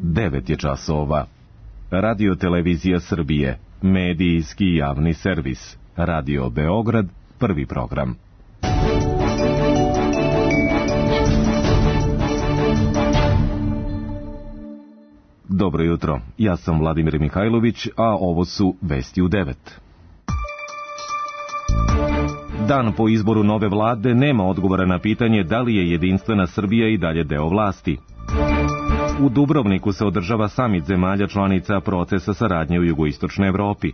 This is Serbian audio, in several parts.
9 je časova. Radio Televizija Srbije, medijski javni servis. Radio Beograd, prvi program. Dobro jutro, ja sam Vladimir Mihajlović, a ovo su Vesti u 9. Dan po izboru nove vlade nema odgovora na pitanje da li je jedinstvena Srbija i dalje deo vlasti. U Dubrovniku se održava samit zemalja članica procesa saradnje u jugoistočnoj Evropi.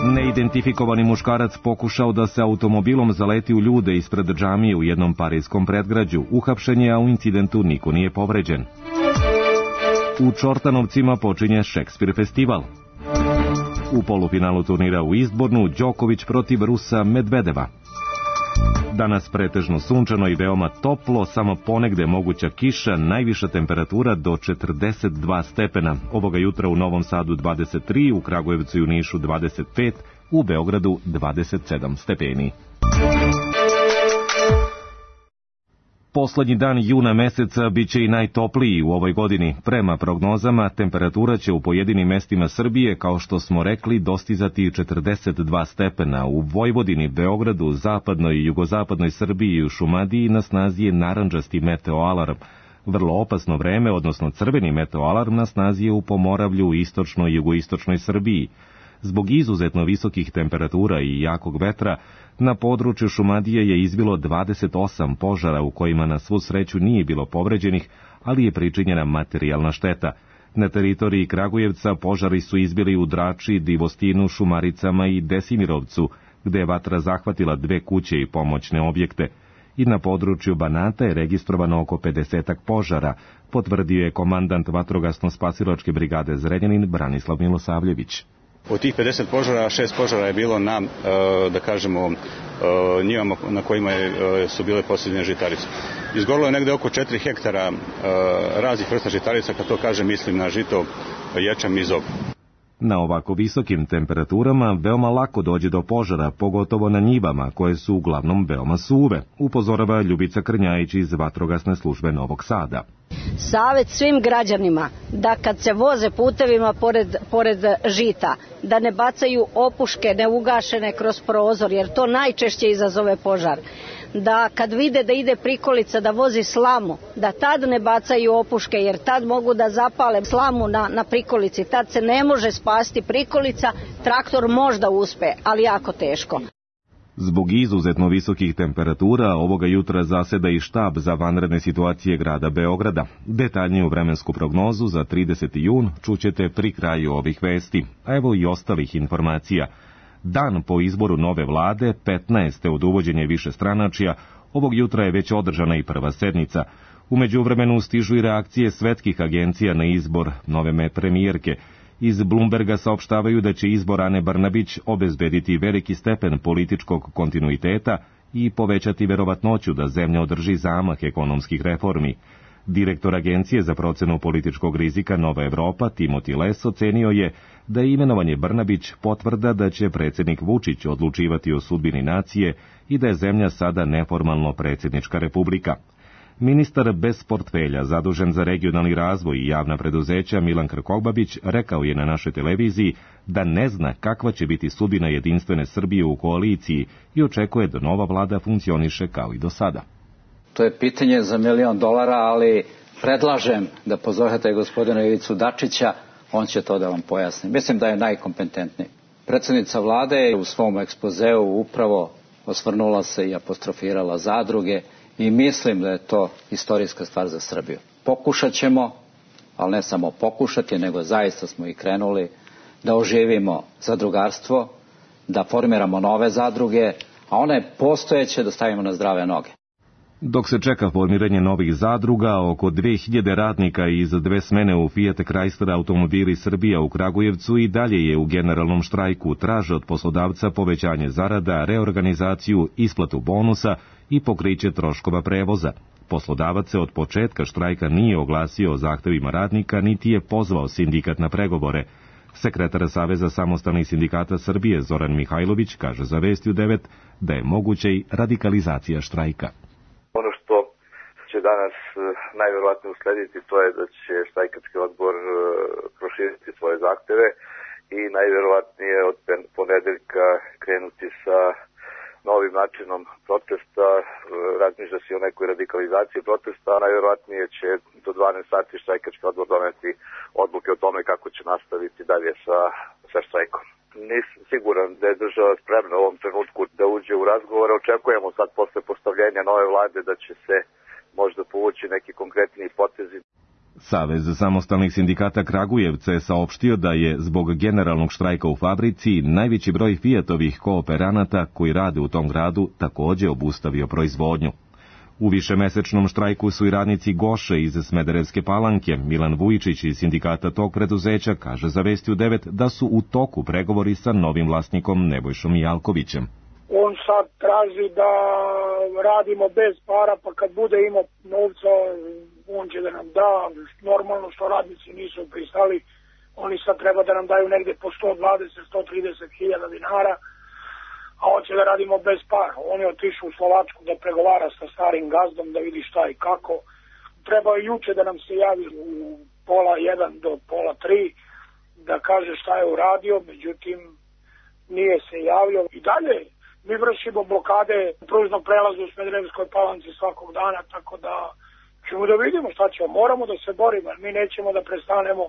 Neidentifikovani muškarac pokušao da se automobilom zaleti u ljude ispred džamije u jednom parijskom predgrađu. Uhapšen je, a u incidentu niko nije povređen. U Čortanovcima počinje Šekspir festival. U polufinalu turnira u Izbornu Đoković protiv Rusa Medvedeva. Danas pretežno sunčano i veoma toplo, samo ponegde moguća kiša, najviša temperatura do 42 stepena. Ovoga jutra u Novom Sadu 23, u Kragujevcu i u Nišu 25, u Beogradu 27 stepeni. Poslednji dan juna meseca biće i najtopliji u ovoj godini. Prema prognozama, temperatura će u pojedinim mestima Srbije, kao što smo rekli, dostizati 42 stepena. U Vojvodini, Beogradu, zapadnoj i jugozapadnoj Srbiji i u Šumadiji na snazi je narandžasti meteoalarm. Vrlo opasno vreme, odnosno crveni meteoalarm, na snazi je u Pomoravlju, istočnoj i jugoistočnoj Srbiji. Zbog izuzetno visokih temperatura i jakog vetra, na području Šumadije je izbilo 28 požara u kojima na svu sreću nije bilo povređenih, ali je pričinjena materijalna šteta. Na teritoriji Kragujevca požari su izbili u Drači, Divostinu, Šumaricama i Desimirovcu, gde je vatra zahvatila 2 kuće i pomoćne objekte. I na području Banata je registrovano oko 50-ak požara, potvrdio je komandant vatrogasno-spasilačke brigade Zrenjanin Branislav Milosavljević. Od tih 50 požara, 6 požara je bilo na, da kažemo, njivama na kojima su bile posljednje žitarice. Izgorilo je negde oko 4 hektara raznih vrsta žitarica, kad to kažem mislim na žito, ječam i zob. Na ovako visokim temperaturama veoma lako dođe do požara, pogotovo na njivama, koje su uglavnom veoma suve, upozorava Ljubica Krnjajić iz Vatrogasne službe Novog Sada. Savet svim građanima da kad se voze putevima pored žita, da ne bacaju opuške neugašene kroz prozor, jer to najčešće izazove požar. Da kad vide da ide prikolica da vozi slamu, da tad ne bacaju opuške, jer tad mogu da zapale slamu na prikolici. Tad se ne može spasti prikolica, traktor možda uspe, ali jako teško. Zbog izuzetno visokih temperatura, ovoga jutra zaseda i štab za vanredne situacije grada Beograda. Detaljniju vremensku prognozu za 30. jun čućete pri kraju ovih vesti, a evo i ostalih informacija. Dan po izboru nove vlade, 15. od uvođenja višestranačja, ovog jutra je već održana i prva sednica. U međuvremenu stižu i reakcije svetskih agencija na izbor nove premijerke. Iz Bloomberga saopštavaju da će izbor Ane Brnabić obezbediti veliki stepen političkog kontinuiteta i povećati verovatnoću da zemlja održi zamah ekonomskih reformi. Direktor Agencije za procenu političkog rizika Nova Evropa, Timothy Les, ocenio je da je imenovanje Brnabić potvrda da će predsjednik Vučić odlučivati o sudbini nacije i da je zemlja sada neformalno predsjednička republika. Ministar bez portfelja, zadužen za regionalni razvoj i javna preduzeća Milan Krkobabić, rekao je na našoj televiziji da ne zna kakva će biti sudbina jedinstvene Srbije u koaliciji i očekuje da nova vlada funkcioniše kao i do sada. To je pitanje za $1 milion, ali predlažem da pozovete gospodina Ivicu Dačića, on će to da vam pojasni. Mislim da je najkompetentniji. Predsjednica vlade je u svom ekspozeu upravo osvrnula se i apostrofirala zadruge i mislim da je to istorijska stvar za Srbiju. Pokušat ćemo, ali ne samo pokušati, nego zaista smo i krenuli da oživimo zadrugarstvo, da formiramo nove zadruge, a one postojeće da stavimo na zdrave noge. Dok se čeka formiranje novih zadruga, oko 2000 radnika iz 2 smene u Fiat Chrysler automobili Srbija u Kragujevcu i dalje je u generalnom štrajku, traže od poslodavca povećanje zarada, reorganizaciju, isplatu bonusa i pokriće troškova prevoza. Poslodavac se od početka štrajka nije oglasio o zahtevima radnika, niti je pozvao sindikat na pregovore. Sekretar Saveza samostalnih sindikata Srbije Zoran Mihajlović kaže za Vesti u 9 da je moguća i radikalizacija štrajka. Ono što će danas najverovatnije uslediti, to je da će štrajkački odbor proširiti svoje zahteve i najverovatnije od ponedeljka krenuti sa novim načinom protesta. Razmišlja se o nekoj radikalizaciji protesta, a najverovatnije će do 12 sati štrajkački odbor doneti odluke o tome kako će nastaviti dalje sa štrajkom. Nisam siguran da je država spremna u ovom trenutku da uđe u razgovore. Očekujemo sad posle postavljenja nove vlade da će se možda povući neki konkretni potezi. Savez samostalnih sindikata Kragujevca je saopštio da je zbog generalnog štrajka u fabrici najveći broj Fiatovih kooperanata koji rade u tom gradu takođe obustavio proizvodnju. U višemesečnom štrajku su i radnici Goše iz Smederevske Palanke. Milan Vujičić iz sindikata tog preduzeća kaže za Vesti u 9 da su u toku pregovori sa novim vlasnikom Nebojšom Jalkovićem. On sad traži da radimo bez para, pa kad bude imao novca, on će da nam da. Normalno što radnici nisu pristali, oni sad treba da nam daju negde po 120-130 hiljada dinara, a hoće da radimo bez para. On je otišao u Slovačku da pregovara sa starim gazdom, da vidi šta i kako. Treba je juče da nam se javi u 1:30 do 2:30 da kaže šta je uradio, međutim nije se javio. I dalje mi vršimo blokade pružnog prelaza u Smederevskoj Palanci svakog dana, tako da ćemo da vidimo šta ćemo. Moramo da se borimo, mi nećemo da prestanemo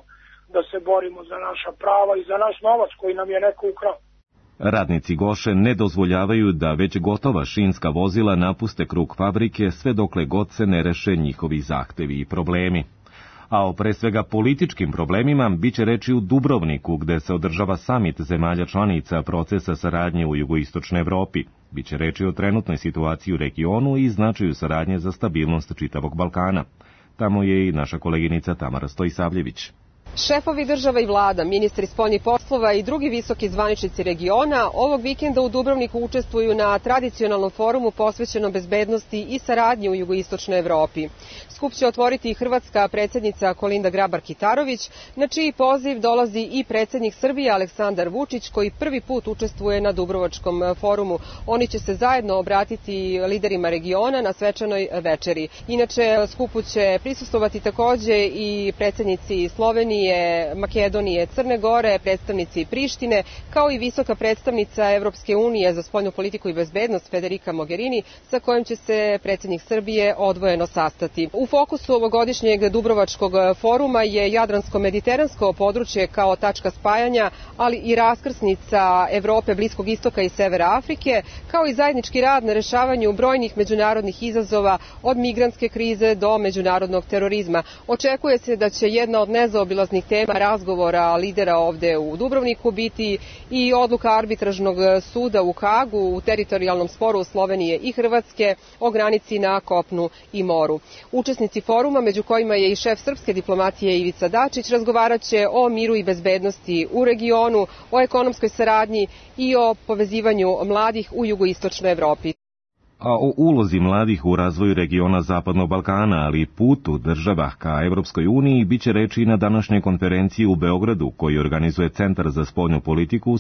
da se borimo za naša prava i za naš novac koji nam je neko ukrao. Radnici Goše ne dozvoljavaju da već gotova šinska vozila napuste krug fabrike sve dokle god se ne reše njihovi zahtevi i problemi. A o pre svega političkim problemima biće reči u Dubrovniku, gde se održava samit zemalja članica procesa saradnje u jugoistočnoj Evropi. Biće reči o trenutnoj situaciji u regionu i značaju saradnje za stabilnost čitavog Balkana. Tamo je i naša koleginica Tamara Stojisavljević. Šefovi država i vlada, ministri spoljnih poslova i drugi visoki zvaničnici regiona ovog vikenda u Dubrovniku učestvuju na tradicionalnom forumu posvećenom bezbednosti i saradnji u jugoistočnoj Evropi. Skup će otvoriti i hrvatska predsjednica Kolinda Grabar-Kitarović, na čiji poziv dolazi i predsjednik Srbije Aleksandar Vučić, koji prvi put učestvuje na Dubrovačkom forumu. Oni će se zajedno obratiti liderima regiona na svečanoj večeri. Inače, skupu će prisustvovati takođe i predsjednici Slovenije, Makedonije, Crne Gore, predstavnici Prištine, kao i visoka predstavnica Evropske unije za spoljnu politiku i bezbednost Federica Mogherini, sa kojom će se predsjednik Srbije odvojeno sastati. U fokusu ovogodišnjeg Dubrovačkog foruma je Jadransko-mediteransko područje kao tačka spajanja, ali i raskrsnica Evrope, Bliskog istoka i Severa Afrike, kao i zajednički rad na rešavanju brojnih međunarodnih izazova od migrantske krize do međunarodnog terorizma. Očekuje se da će jedna od nezaobilaznih tema razgovora lidera ovde u Dubrovniku biti i odluka arbitražnog suda u Hagu u teritorijalnom sporu Slovenije i Hrvatske o granici na kopnu i moru. Učesnici foruma, među kojima je i šef srpske diplomatije Ivica Dačić, razgovaraće o miru i bezbednosti u regionu, o ekonomskoj saradnji i o povezivanju mladih u jugoistočnoj Evropi. A o ulozi mladih u razvoju regiona Zapadnog Balkana, ali i putu država ka Evropskoj uniji, biće reči i na današnjoj konferenciji u Beogradu, koji organizuje Centar za spoljnu politiku u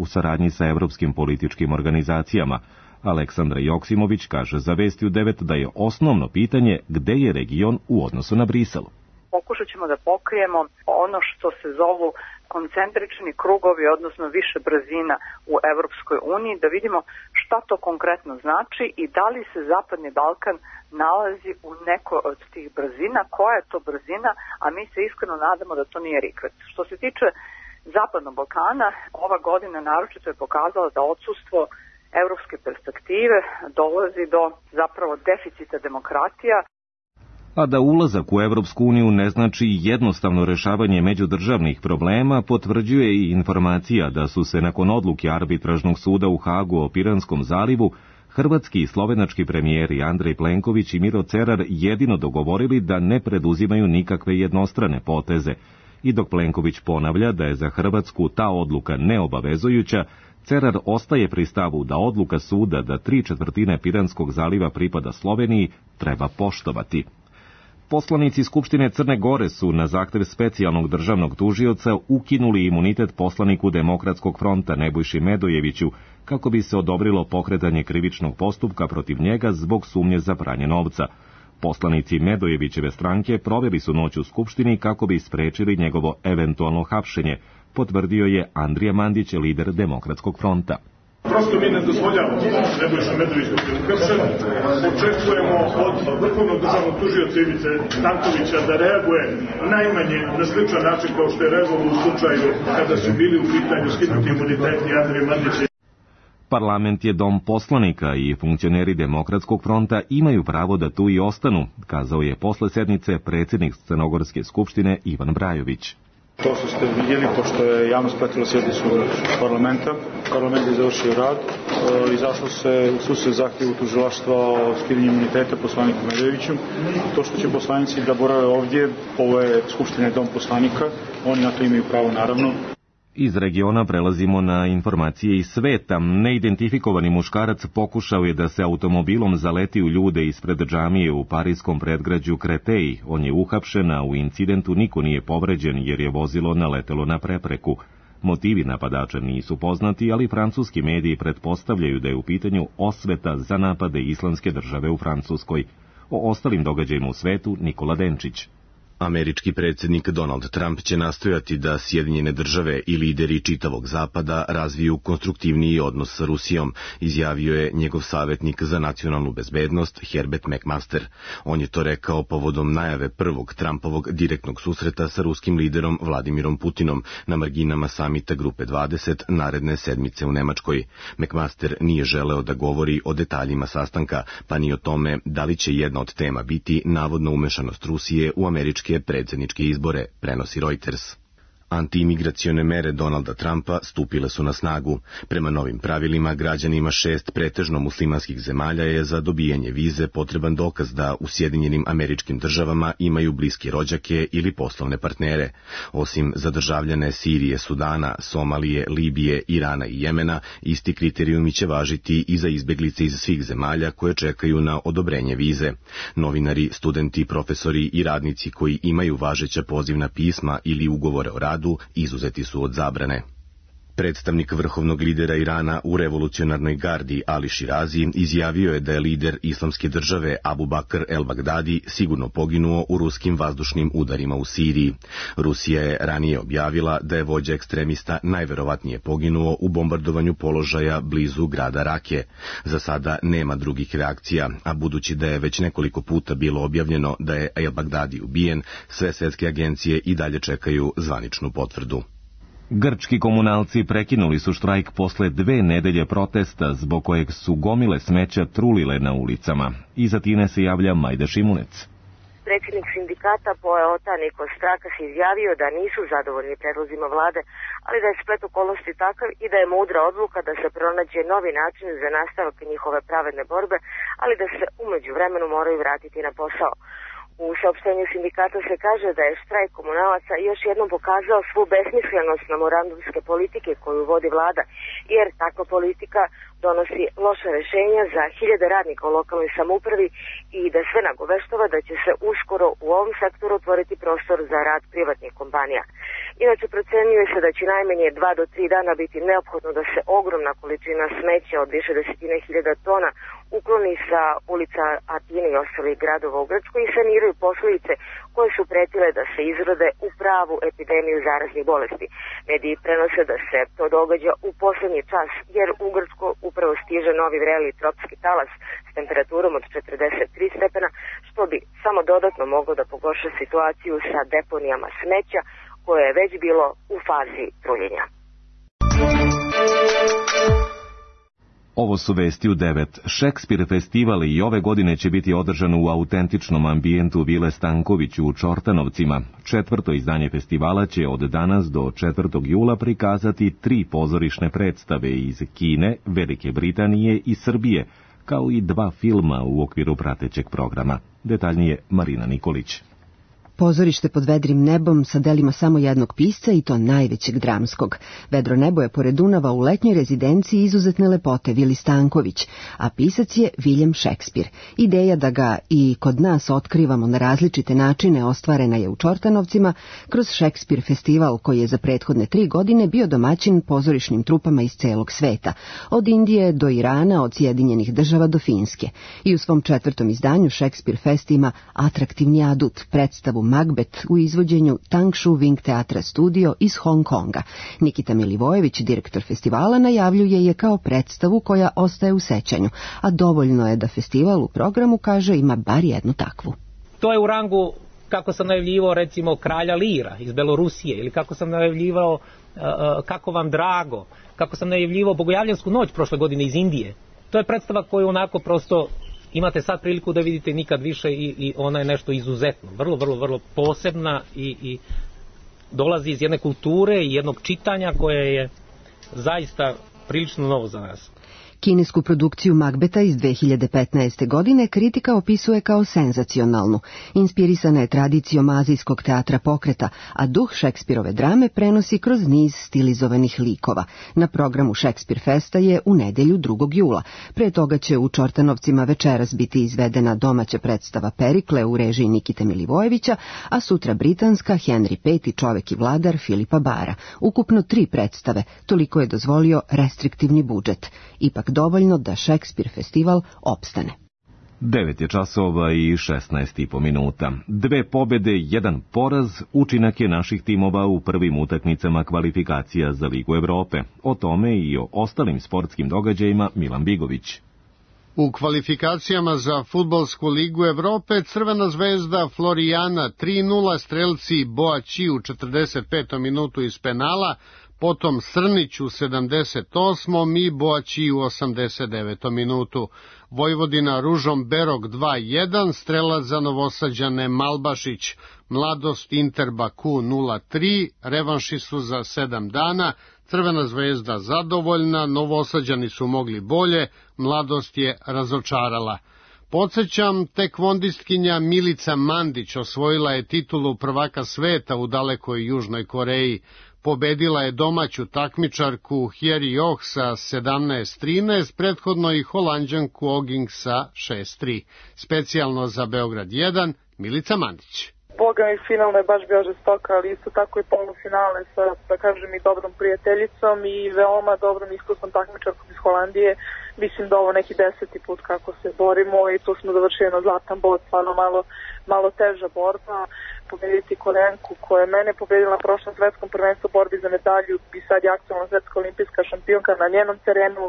saradnji sa evropskim političkim organizacijama. Aleksandra Joksimović kaže za Vesti u 9 da je osnovno pitanje gde je region u odnosu na Brisel. Pokušat ćemo da pokrijemo ono što se zovu koncentrični krugovi, odnosno više brzina u Evropskoj uniji, da vidimo šta to konkretno znači i da li se Zapadni Balkan nalazi u nekoj od tih brzina, koja je to brzina, a mi se iskreno nadamo da to nije rikvet. Što se tiče Zapadnog Balkana, ova godina naročito je pokazala da odsustvo evropske perspektive dolazi do zapravo deficita demokratija. A da ulazak u Evropsku uniju ne znači jednostavno rešavanje međudržavnih problema, potvrđuje i informacija da su se nakon odluke arbitražnog suda u Hagu o Piranskom zalivu hrvatski i slovenački premijeri Andrej Plenković i Miro Cerar jedino dogovorili da ne preduzimaju nikakve jednostrane poteze. I dok Plenković ponavlja da je za Hrvatsku ta odluka neobavezujuća, Cerar ostaje pri stavu da odluka suda da 3/4 Piranskog zaliva pripada Sloveniji treba poštovati. Poslanici Skupštine Crne Gore su na zahtev specijalnog državnog tužioca ukinuli imunitet poslaniku Demokratskog fronta Nebojši Medojeviću kako bi se odobrilo pokretanje krivičnog postupka protiv njega zbog sumnje za pranje novca. Poslanici Medojevićeve stranke proveli su noć u Skupštini kako bi sprečili njegovo eventualno hapšenje, potvrdio je Andrija Mandić, lider Demokratskog fronta. Prosto mi ne dozvoljavamo da Nebojša Medović bude uhapšen. Očekujemo od vrhovnog državnog tužioca Ivice Stankovića da reaguje najmanje na sličan način kao što je reagovao u slučaju kada su bili u pitanju skinuti imuniteti Andrije Mandića. Parlament je dom poslanika i funkcioneri Demokratskog fronta imaju pravo da tu i ostanu, kazao je posle sednice predsjednik Crnogorske skupštine Ivan Brajović. To što ste vidjeli, pošto je javnost pratila sjednicu parlamenta, parlament je završio rad, izašlo se u susret zahtjevu tužilaštva o skidanju imuniteta poslaniku Medojeviću. To što će poslanici da borave ovdje, ovo je Skupština dom poslanika, oni na to imaju pravo naravno. Iz regiona prelazimo na informacije iz sveta. Neidentifikovani muškarac pokušao je da se automobilom zaleti u ljude ispred džamije u parijskom predgrađu Kreteji. On je uhapšen, a u incidentu niko nije povređen jer je vozilo naletelo na prepreku. Motivi napadača nisu poznati, ali francuski mediji pretpostavljaju da je u pitanju osveta za napade Islamske države u Francuskoj. O ostalim događajima u svetu Nikola Denčić. Američki predsjednik Donald Trump će nastojati da Sjedinjene države i lideri čitavog zapada razviju konstruktivniji odnos sa Rusijom, izjavio je njegov savjetnik za nacionalnu bezbednost Herbert McMaster. On je to rekao povodom najave prvog Trumpovog direktnog susreta sa ruskim liderom Vladimirom Putinom na marginama samita Grupe 20 naredne sedmice u Nemačkoj. McMaster nije želeo da govori o detaljima sastanka, pa ni o tome da li će jedna od tema biti navodna umešanost Rusije u američke predsjedničke izbore, prenosi Reuters. Antiimigracione mere Donalda Trumpa stupile su na snagu. Prema novim pravilima, građanima 6 pretežno muslimanskih zemalja je za dobijanje vize potreban dokaz da u Sjedinjenim Američkim Državama imaju bliske rođake ili poslovne partnere. Osim za državljane Sirije, Sudana, Somalije, Libije, Irana i Jemena, isti kriterijumi će važiti i za izbeglice iz svih zemalja koje čekaju na odobrenje vize. Novinari, studenti, profesori i radnici koji imaju važeća pozivna pisma ili ugovore o radu izuzeti su od zabrane. Predstavnik vrhovnog lidera Irana u revolucionarnoj gardi Ali Širazi izjavio je da je lider Islamske države Abu Bakr el-Bagdadi sigurno poginuo u ruskim vazdušnim udarima u Siriji. Rusija je ranije objavila da je vođa ekstremista najverovatnije poginuo u bombardovanju položaja blizu grada Rake. Za sada nema drugih reakcija, a budući da je već nekoliko puta bilo objavljeno da je el-Bagdadi ubijen, sve svjetske agencije i dalje čekaju zvaničnu potvrdu. Grčki komunalci prekinuli su štrajk posle 2 nedelje protesta zbog kojeg su gomile smeća trulile na ulicama. Iz Atine se javlja Majda Šimunec. Predsjednik sindikata Poeota Nikos Strakas izjavio da nisu zadovoljni predlozima vlade, ali da je splet okolnosti takav i da je mudra odluka da se pronađe novi način za nastavak njihove pravedne borbe, ali da se u međuvremenu moraju vratiti na posao. U saopštenju sindikata se kaže da je štrajk komunalaca još jednom pokazao svu besmislenost memorandumske politike koju vodi vlada, jer takva politika donosi loše rješenja za hiljade radnika u lokalnoj samoupravi i da sve nagoveštava da će se uskoro u ovom sektoru otvoriti prostor za rad privatnih kompanija. Inače, procenjuje se da će najmanje 2 do 3 dana biti neophodno da se ogromna količina smeća od više desetine hiljada tona ukloni sa ulica Atine i ostalih gradova u Grčkoj i saniraju posljedice koje su pretile da se izrode u pravu epidemiju zaraznih bolesti. Mediji prenose da se to događa u posljednji čas, jer u Grčku upravo stiže novi vreli tropski talas s temperaturom od 43 stepena, što bi samo dodatno moglo da pogorša situaciju sa deponijama smeća, koje je već bilo u fazi truljenja. Ovo su vesti u 9. Šekspir festival i ove godine će biti održan u autentičnom ambijentu Vile Stanković u Čortanovcima. 4. izdanje festivala će od danas do 4. jula prikazati 3 pozorišne predstave iz Kine, Velike Britanije i Srbije, kao i 2 filma u okviru pratećeg programa. Detaljnije Marina Nikolić. Pozorište pod vedrim nebom sa delima samo jednog pisca i to najvećeg dramskog. Vedro nebo je pored Dunava u letnjoj rezidenciji izuzetne lepote Vili Stanković, a pisac je William Shakespeare. Ideja da ga i kod nas otkrivamo na različite načine ostvarena je u Čortanovcima kroz Shakespeare festival koji je za prethodne 3 godine bio domaćin pozorišnim trupama iz celog sveta, od Indije do Irana, od Sjedinjenih Država do Finske. I u svom 4. izdanju Shakespeare Fest ima atraktivni adut, predstavu Macbeth u izvođenju Tang Shu Wing Teatra Studio iz Hong Konga. Nikita Milivojević, direktor festivala, najavljuje je kao predstavu koja ostaje u sećanju, a dovoljno je da festival u programu, kaže, ima bar jednu takvu. To je u rangu kako sam najavljivao recimo Kralja Lira iz Belorusije, ili kako sam najavljivao Kako vam drago, kako sam najavljivao Bogojavljansku noć prošle godine iz Indije. To je predstava koju onako prosto imate sad priliku da vidite nikad više i ona je nešto izuzetno, vrlo posebna i dolazi iz jedne kulture i jednog čitanja koje je zaista prilično novo za nas. Kinesku produkciju Macbeta iz 2015. godine kritika opisuje kao senzacionalnu. Inspirisana je tradicijom azijskog teatra pokreta, a duh Shakespeareove drame prenosi kroz niz stilizovanih likova. Na programu Shakespeare Festa je u nedelju 2. jula. Pre toga će u Čortanovcima večeras biti izvedena domaća predstava Perikle u režiji Nikite Milivojevića, a sutra britanska Henry V, čovek i vladar Filipa Bara. Ukupno 3 predstave, toliko je dozvolio restriktivni budžet. Ipak dovoljno da Shakespeare festival opstane. 9 je časova i 16,5 minuta. 2 pobede, 1 poraz, učinak je naših timova u prvim utakmicama kvalifikacija za Ligu Evrope. O tome i o ostalim sportskim događajima Milan Bigović. U kvalifikacijama za Fudbalsku ligu Evrope Crvena zvezda Florijana 3:0, strelci Boaći u 45. minutu iz penala, potom Srnić u 78. i Boaći u 89. minutu. Vojvodina Ružom Berog 2:1, strelac za Novosađane Malbašić. Mladost Inter Baku 0:3, revanši su za 7 dana, Crvena zvezda zadovoljna, Novosađani su mogli bolje, Mladost je razočarala. Podsjećam, tekvondistkinja Milica Mandić osvojila je titulu prvaka sveta u dalekoj Južnoj Koreji. Pobedila je domaću takmičarku Hjeri Oh sa 17:13, prethodno i Holanđanku Oging sa 6:3. Specijalno za Beograd 1, Milica Mandić. Boga mi finalno je baš bio žestoka, ali isto tako i polufinale sa, da kažem, i dobrom prijateljicom i veoma dobrom iskusnom takmičarkom iz Holandije. Mislim da ovo neki 10. put kako se borimo i tu smo završili na zlatan bod, stvarno malo teža borba. Pobediti Korenku koja je mene pobedila na prošlom svetskom prvenstvu borbi za medalju i sad je aktualna svetska olimpijska šampionka na njenom terenu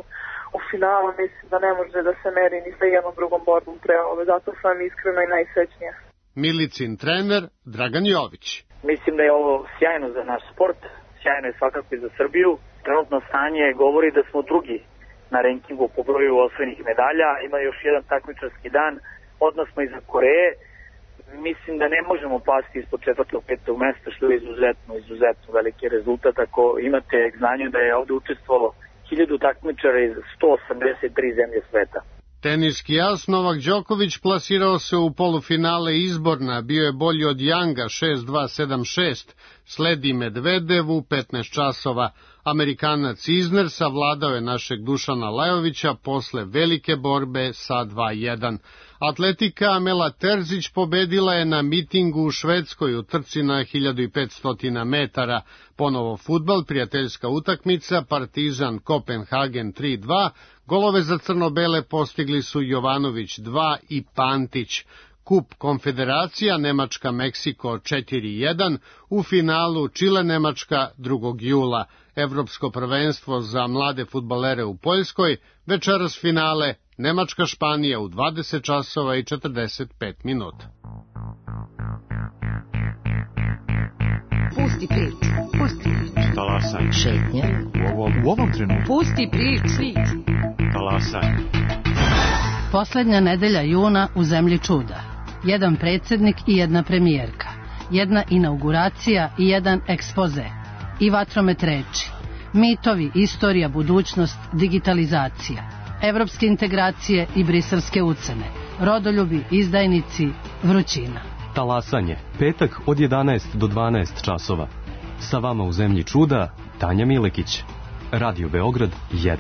u finalu, mislim da ne može da se meri ni sa jednom drugom borbom pre ove, zato sam iskreno i najsrećnija. Milicin trener Dragan Jović. Mislim da je ovo sjajno za naš sport, sjajno je svakako i za Srbiju. Trenutno stanje govori da smo drugi na rankingu po broju osvojenih medalja, ima još jedan takmičarski dan, odmah smo iza Koreje. Mislim da ne možemo pasti ispod 4. 5. mesta, što je izuzetno veliki rezultat. Ako imate znanje da je ovde učestvovalo 1000 takmičara iz 183 zemlje sveta. Teniski as Novak Đoković plasirao se u polufinale izborna, bio je bolji od Janga 6-2, 7-6, sledi Medvedev u 15 časova. Amerikanac Isner savladao je našeg Dušana Lajovića posle velike borbe sa 2:1. Atletika Amela Terzić pobedila je na mitingu u Švedskoj u trci na 1500 metara. Ponovo fudbal, prijateljska utakmica, Partizan Kopenhagen 3:2, golove za crno-bele postigli su Jovanović 2 i Pantić. Kup Konfederacija Nemačka-Meksiko 4:1, u finalu Čile-Nemačka 2. jula. Evropsko prvenstvo za mlade fudbalere u Poljskoj, večeras finale Nemačka-Španija u 20 časova i 45 minuta. Pusti priču, pusti priču. Talasaj. Šetnja. U ovom trenutku. Pusti priču. Talasaj. Poslednja nedelja juna u zemlji čuda. Jedan predsjednik i jedna premijerka. Jedna inauguracija i jedan ekspoze. I vatromet reči. Mitovi, istorija, budućnost, digitalizacija. Evropske integracije i briselske ucene. Rodoljubi, izdajnici, vrućina. Talasanje, petak od 11 do 12 časova. Sa vama u Zemlji čuda, Tanja Milekić. Radio Beograd 1.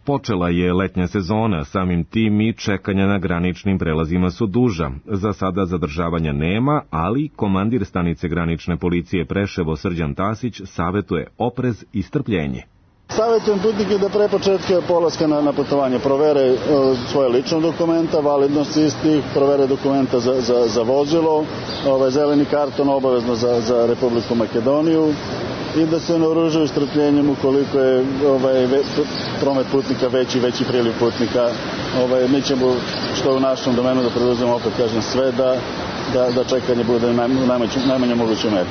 Počela je letnja sezona, samim tim i čekanja na graničnim prelazima su duža. Za sada zadržavanja nema, ali komandir stanice granične policije Preševo Srđan Tasić savetuje oprez i strpljenje. Savetujem putnike da pre početka polaska na putovanje provere svoje lične dokumenta, validnost istih, provere dokumenta za vozilo, zeleni karton obavezno za Republiku Makedoniju i da se naoružaju strpljenjem ukoliko je promet putnika veći priliv putnika. Mi ćemo što u našem domenu da preduzmemo, opet kažem, sve da čekanje bude u najmanje mogućoj meri.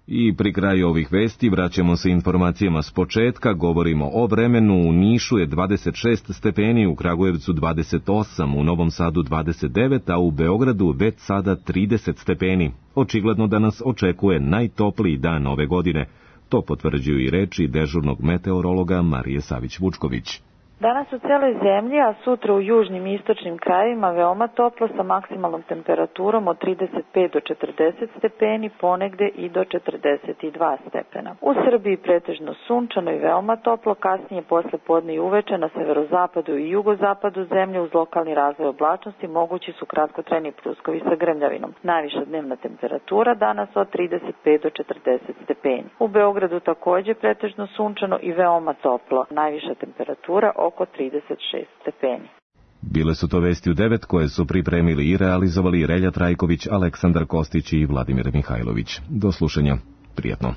I pri kraju ovih vesti vraćamo se informacijama s početka, govorimo o vremenu. U Nišu je 26 stepeni, u Kragujevcu 28, u Novom Sadu 29, a u Beogradu već sada 30 stepeni. Očigledno da nas očekuje najtopliji dan ove godine. To potvrđuju i reči dežurnog meteorologa Marije Savić-Vučković. Danas u celoj zemlji, a sutra u južnim i istočnim krajevima veoma toplo sa maksimalnom temperaturom od 35 do 40 stepeni, ponegde i do 42 stepena. U Srbiji pretežno sunčano i veoma toplo, kasnije posle podne i uveče na severozapadu i jugozapadu zemlje uz lokalni razvoj oblačnosti mogući su kratkotrajni pljuskovi sa grmljavinom. Najviša dnevna temperatura danas od 35 do 40 stepeni. U Beogradu takođe pretežno sunčano i veoma toplo. Najviša temperatura oko 36 stepeni. Bile su to vesti u 9 koje su pripremili i realizovali Relja Trajković, Aleksandar Kostić i Vladimir Mihajlović. Do slušanja. Prijatno.